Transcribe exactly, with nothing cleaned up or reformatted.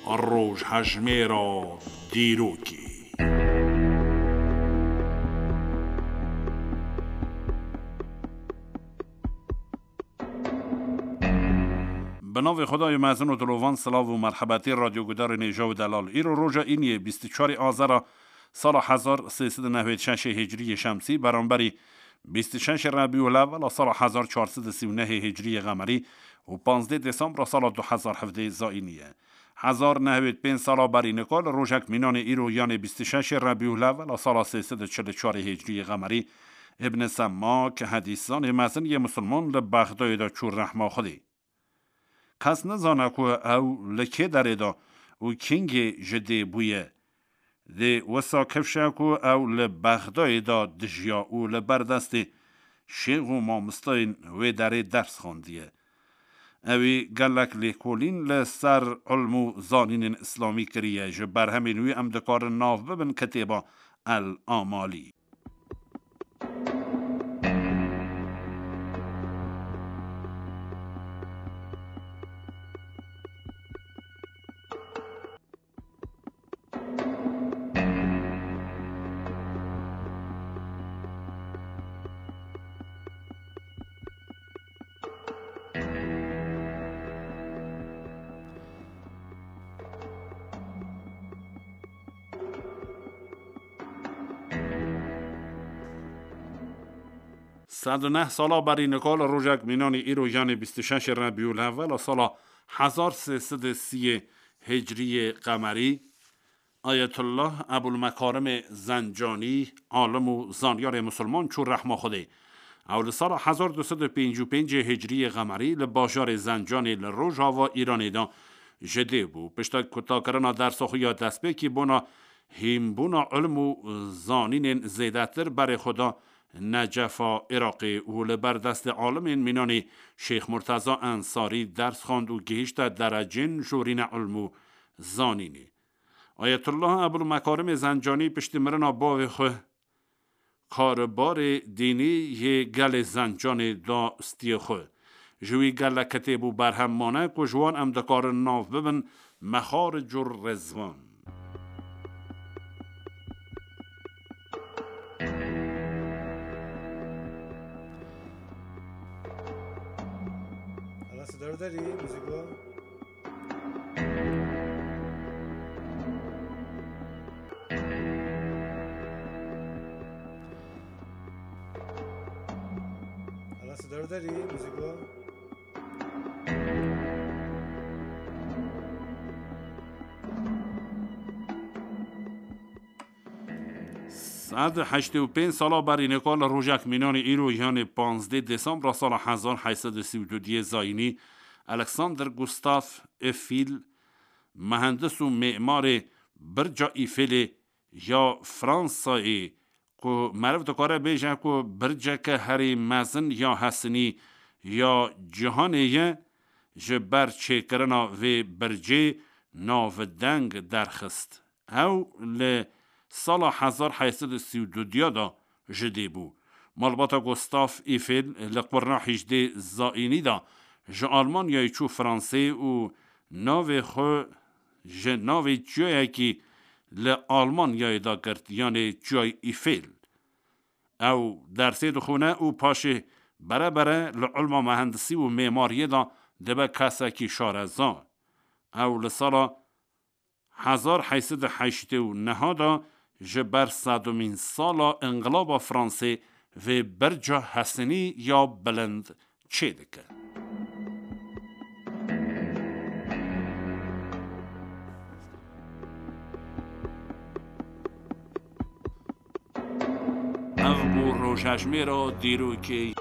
Rojhejmêra dîrokê. Bi navê Xwedayê mezin û dilovan, silav û merhebetî radyogudarên hêja û delal. Îro roja îniyê bîst û çarê Azera sala hezar sê sed û newêd şeşê hicriyê şemsî, beramberî bîst û şeşê Rebîûl Ewwel a sala hezar çar sed û sî û nehê hicriyê qemerî û panzdê Desembra sala du hezar hevdê zayînî ye. Hezar nehwêd pênc sala berî nika li rojek mînanê îro, yanê bîst û şeşê Rebîûl Ewwel a sala sê sed û çil û çarê hicriyê qemerî, Ibn Semmak, hedîszanê mezin yê misilman, li Bexdayê de çû rehma Xwedê. Kes nizane ku ew li kê derê de û kîngê ji dê bûye. Dê wisa kifş e ku ew li Bexdayê de dijiya û li ber destê şêx û mamosteyên wê derê ders xwendiye. Ewî gelek lêkolîn li ser ilm û zanînên îslamî kiriye. Ji berhemên wî em dikarin nav bibin kitêba El Amalî. Sed û neh sala berî nika li rojek mînanî îro, yanê bîst û şeşê Rebîûl Ewwel a sala hezar sê sed û sî hicriyê qemerî, Ayetullah Ebul Mekarimê Zencanî, alim û zanyarê misilman, çû rehma Xwedê. Ew li sala hezar du sed û pêncî û pêncê hicriyê qemerî li bajarê Zencanê li rojava Îranê de ji dê bû. Pişta kutakirina dersa xwe ya destpêkî bona hînbûna ilm û zanînên zêdetir berê xwe da Necefa Iraqê û li ber destê alimên mînanê Şêx Murteza Ensarî ders xwend û gihîşte derecên jorîne ilm û zanînê. Ayetullah Ebul Mekarimê Zencanî piştî mirina bavê xwe karbarê dînî yê gelê Zencanê da stiyê xwe. Ji wî gelek kitêb û berhem mane ku ji wan em dikarin nav bibin Mexaric û Rizwan. Hala sidardarî, muzîk wa. Hala sidardarî, muzîk wa. Sed heştê û pênc sala berî nika li rojek mînanê îro, yanê panzdeh Desembra sala hezar heyt sed û sî û du diyê zayînî, Alexander Gustav Eiffel, mehendis û mêmarê Birca Îfelê ya Fransayê, ku meriv dikare bêje ku birceke herî mezin ya hesinî ya cîhanê ye, ji ber çêkirina vê bircê navdeng derxist. Ew li sala hezar heyt sed û sî û du diya de ji dê bû. Malbata Gustav Eiffel li qurna hejdê zayînî de ji Almanyayê çû Fransê û navê xwe ji navê çiyayekî li Almanyayê de girt, yanê Çiyayê Eiffel. Ew dersê dixwîne û paşê bere bere li ilma mehendisî û mêmariyê de dibe kesekî şareza. Ew li sala hezar heyt sed û heştê û neh de ji ber sedemîn sala Înqilaba Fransê vê birca hesinî ya bilind çêdike. Ev bû rojhejmêra dîrokê.